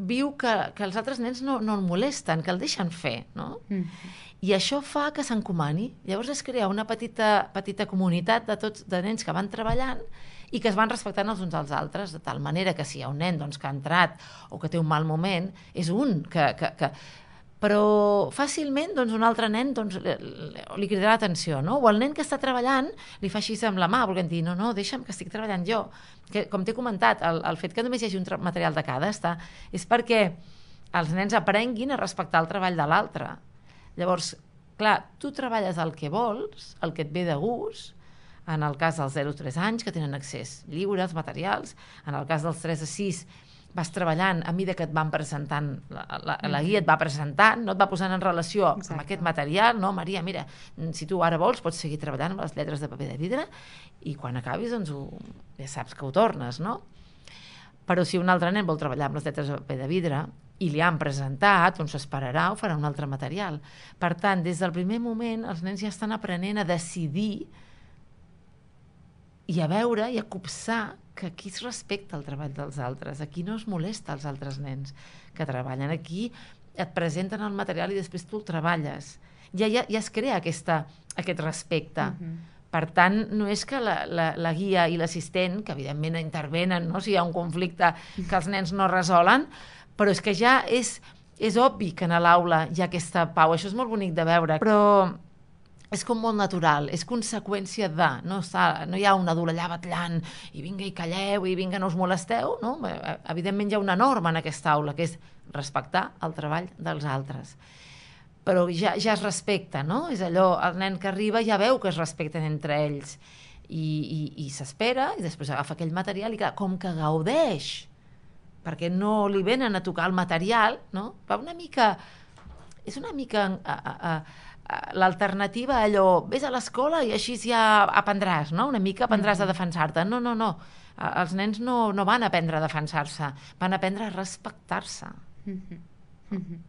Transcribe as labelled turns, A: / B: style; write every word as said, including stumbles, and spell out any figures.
A: viu que, que els altres nens no, no el molesten, que el deixen fer, no? Mm. I això fa que s'encomani. Llavors es crea una petita, petita comunitat de, tots, de nens que van treballant i que es van respectant els uns als altres, de tal manera que si hi ha un nen doncs, que ha entrat o que té un mal moment, és un que... que, que però fàcilment doncs, un altre nen doncs, li, li cridarà l'atenció, no? O el nen que està treballant li fa així amb la mà, volent dir, no, no, deixa'm que estic treballant jo. Que, com t'he comentat, el, el fet que només hi hagi un material de cada està, és perquè els nens aprenguin a respectar el treball de l'altre. Llavors, clar, tu treballes el que vols, el que et ve de gust, en el cas dels zero a tres anys, que tenen accés lliure als materials, en el cas dels tres a sis, vas treballant a mesura que et van presentant, la, la, la guia et va presentant, no et va posant en relació Exacte. Amb aquest material, no, Maria, mira, si tu ara vols pots seguir treballant amb les lletres de paper de vidre i quan acabis, doncs, ho, ja saps que ho tornes, no? Però si un altre nen vol treballar amb les lletres de paper de vidre i li han presentat, doncs s'esperarà o farà un altre material. Per tant, des del primer moment, els nens ja estan aprenent a decidir i a veure i a copsar que aquí es respecta el treball dels altres, aquí no es molesta els altres nens que treballen, aquí et presenten el material i després tu el treballes. Ja, ja, ja es crea aquesta, aquest respecte. Uh-huh. Per tant, no és que la, la, la guia i l'assistent, que evidentment intervenen, no? Si hi ha un conflicte que els nens no resolen, però és que ja és, és obvi que a l'aula hi ha aquesta pau. Això és molt bonic de veure, però és com molt natural, és conseqüència de, no, està, no hi ha un adult allà batllant i vinga i calleu i vinga no us molesteu, no? Evidentment hi ha una norma en aquesta aula, que és respectar el treball dels altres. Però ja, ja es respecta, no? És allò, el nen que arriba ja veu que es respecten entre ells i, i, i s'espera i després agafa aquell material i clar, com que gaudeix, perquè no li venen a tocar el material, no? Va una mica... És una mica... A, a, a, l'alternativa a allò, vés a l'escola i així ja aprendràs, no? Una mica aprendràs a defensar-te. No, no, no. Els nens no, no van aprendre a defensar-se, van aprendre a respectar-se. Mm-hmm. Mm-hmm.